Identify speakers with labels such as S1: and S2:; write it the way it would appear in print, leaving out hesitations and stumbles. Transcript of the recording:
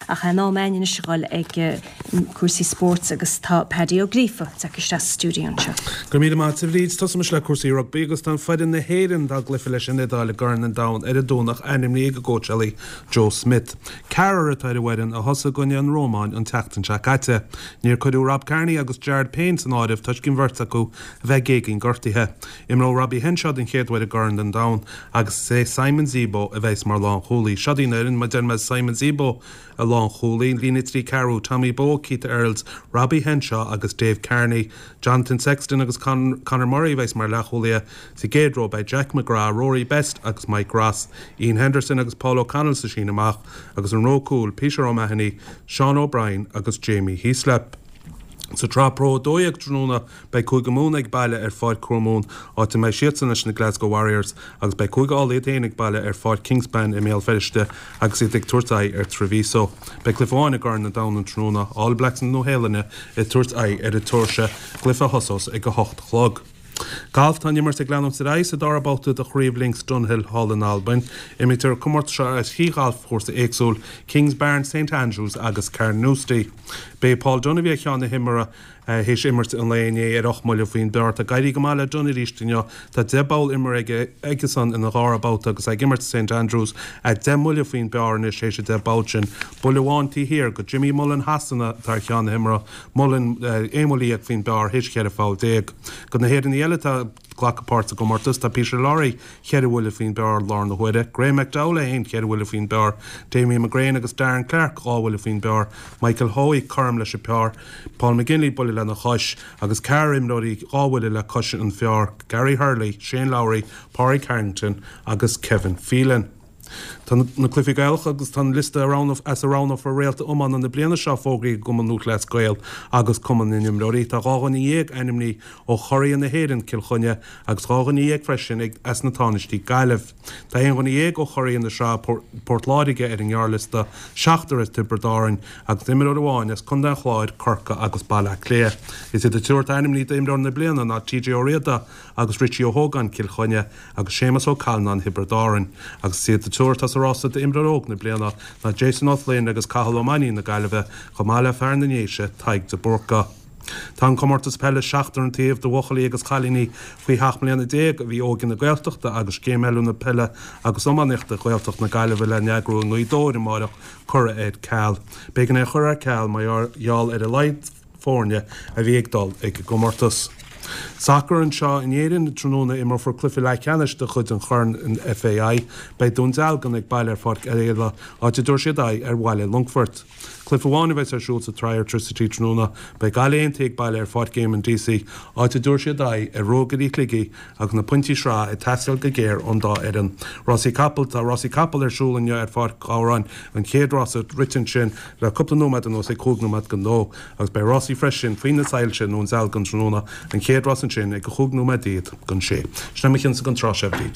S1: Ach in am againn anois a dhul ag cúrsaí spóirt agus tá Paddy Ó Gríofa tagtha isteach sa stiúideo anseo.
S2: Go raibh míle maith agat a Bhríd. Tosóimis le cúrsaí rugbaí agus tá an foireann na hÉireann dá gcluiche leis an Iodáil i gCorn an Domhain ar an Domhnach ainmnithe ag a gcóitseálaí Joe Schmidt. Ceathrar atá ar an bhfoireann a thosaigh i gcoinne an Rómáin an tseachtain seo caite. Níor cuireadh Rob Kearney agus Jared Payne san áireamh toisc an bheirt acu a bheith géigín gortaithe. Imreoidh Robbie Henshaw den chéad uair i gCorn an Domhain agus is é Simon Zebo a bheas mar lánchúlaí. Seo í an fhoireann, mar a deir mé Simon Zebo i lánchúlaí, líne 3 ceathrú, Tommy Bowe, Keith Earls, Robbie Henshaw agus Dave Kearney. Jonathan Sexton agus Conor Murray a bheas mar leathchúlaithe. Sa gcéad ró beidh Jack McGrath, Rory Best agus Mike Ross, Iain Henderson agus Paul O'Connell sa síneadh amach agus an ró cúil, Peter O'Mahony, Sean O'Brien agus Jamie Heaslip. Sa tSraith Pro 12 tráthnóna Beidh Cúige Mumhan ag baile ar Pháirc Thuamumhan, áit a mbeidh siadsan leis na Glasgow Warriors, agus beidh Cúige Uladh iad féin ag baile ar Pháirc Kingspan i mBéal Feirste agus iad ag tabhairt aghaidh ar Treviso. Beidh cluiche amháin i gCorn an Domhain an tráthnóna, All Blacks na Nua-Shéalainne ag tabhairt aghaidh ar an tSeoirsia, cluiche a thosós ag a 8 a chlog. Galf Tá an imirt ag leanúint ar aghaidh sa dara babhta de Chraobh Links Dunhill thall in Albain. Imrítear an comórtas seo ar thrí ghalfchúrsa éagsúil, Kingsbarns, St Andrews agus Carnoustie. B'é Paul Dunne a bhí ar cheann na himeartha Théis imirt an lae inné ar 8 mbuille faoin bpar, tá ag éirí go maith le Dunne arís inniu. Tá 10 bpoll imeartha aige aigesan ina dhara babhta agus é ag imirt i St Andrews, é 10 mbuille faoin bpar anois théis an 10 bpoll sin. Buille amháin taobh thiar de Jimmy Mullen Shasana atá ar cheann na himeartha, Mullen 11 mbuille faoin bpar théis 14 pholl. De na hÉireannaigh eile atá ag glacadh páirt sa gcomórtas, tá Peter Lawrie cheithre bhuille faoin bpar i láthair na huaire, Graeme McDowell é féin cheithre bhuille faoin bpar, Damien McGrane agus Darren Clarke 2 bhuille faoin bpar, Michael Hoey cothrom leis an bpar, Paul McGinley buille lena chois agus ceathrar imreoirí 2 bhuille le cois an phar, Gary Hurley, Shane Lowry, Pádraig Harrington agus Kevin Phelan. Tá na Cluichí Gaelacha agus tá an liosta as a roghnófar réalta iomána na bliana seo fógraithe ag an gCumann Lúthchleas Gael agus Cumann na nImreoirí. Tá 12 dhuine ainmnithe ó churaidh na hÉireann, Cill Chainnigh, agus 12 dhuine freisin as na Tánaistí, Gaillimh. Tá aon dhuine dhéag ó churaidh na sraithe, Port Láirge, ar an ngearrliosta, seachtar as Tiobraid Árann agus imreoir amháin as Contae an Chláir, Corcaigh agus Baile Átha Cliath. Is iad an triúr atá ainmnithe d'imreoir na bliana ná TJ Ó Riada agus Richie Ó hÓgáin, Cill Chainnigh, agus Séamus Ó Callanáin, Thiobraid Árann. Agus is iad an triúr atá sa rása d'imreoir óg na bliana ná Jason Ó Floinn agus Cathal Ó Mainnín na Gaillimhe, chomh maith le fear na nDéise, Tadhg de Búrca. Tá an comórtas peile seachtar an taobh do bhuachaillí agus cailíní faoi sheacht mbliana déag a bhí Óige na Gaeltachta agus Scéim Oiliúna Peile agus Iománaíochta Ghaeltacht na Gaillimhe le n-eagrú i nGaoth Dobhair amáireach curtha ar ceal. B'éigean é a chur ar ceal mar gheall ar a laghad foirne a bhí ag dul ag an gcomórtas. Sacar anseo in Éirinn, Tráthnóna imreofar cluiche leathcheannais de chuid an Chorn FAI. Beidh Dún Dealgan ag baile ar Pháirc Oirialla, áit a dtabharfaidh siad aghaidh ar Bhaile Longfoirt. Cluiche amháin a bheas ar siúl sa tsraith Airtricity tráthnóna. Beidh Gaillimh Aontaithe ag baile ar Pháirc Éamonn Deasy, áit a dtabharfaidh siad aghaidh ar Ruagairí Shligigh agus na pointí sraithe ag teastáil go géar ón dá fhoireann. Rásaí Capall Tá rásaí capall ar siúl inniu ar Pháirc Ghabhráin, an chéad rása rite ansin le cúpla nóiméad anuas ag chúig nóiméad don dó agus beidh rásaí freisin faoi na soilse i nDún Dealgan tráthnóna, an chéad rás ansin ag a chúig nóiméad déag don sé. Sin é mo chinnse don tráth seo, a Bhríd.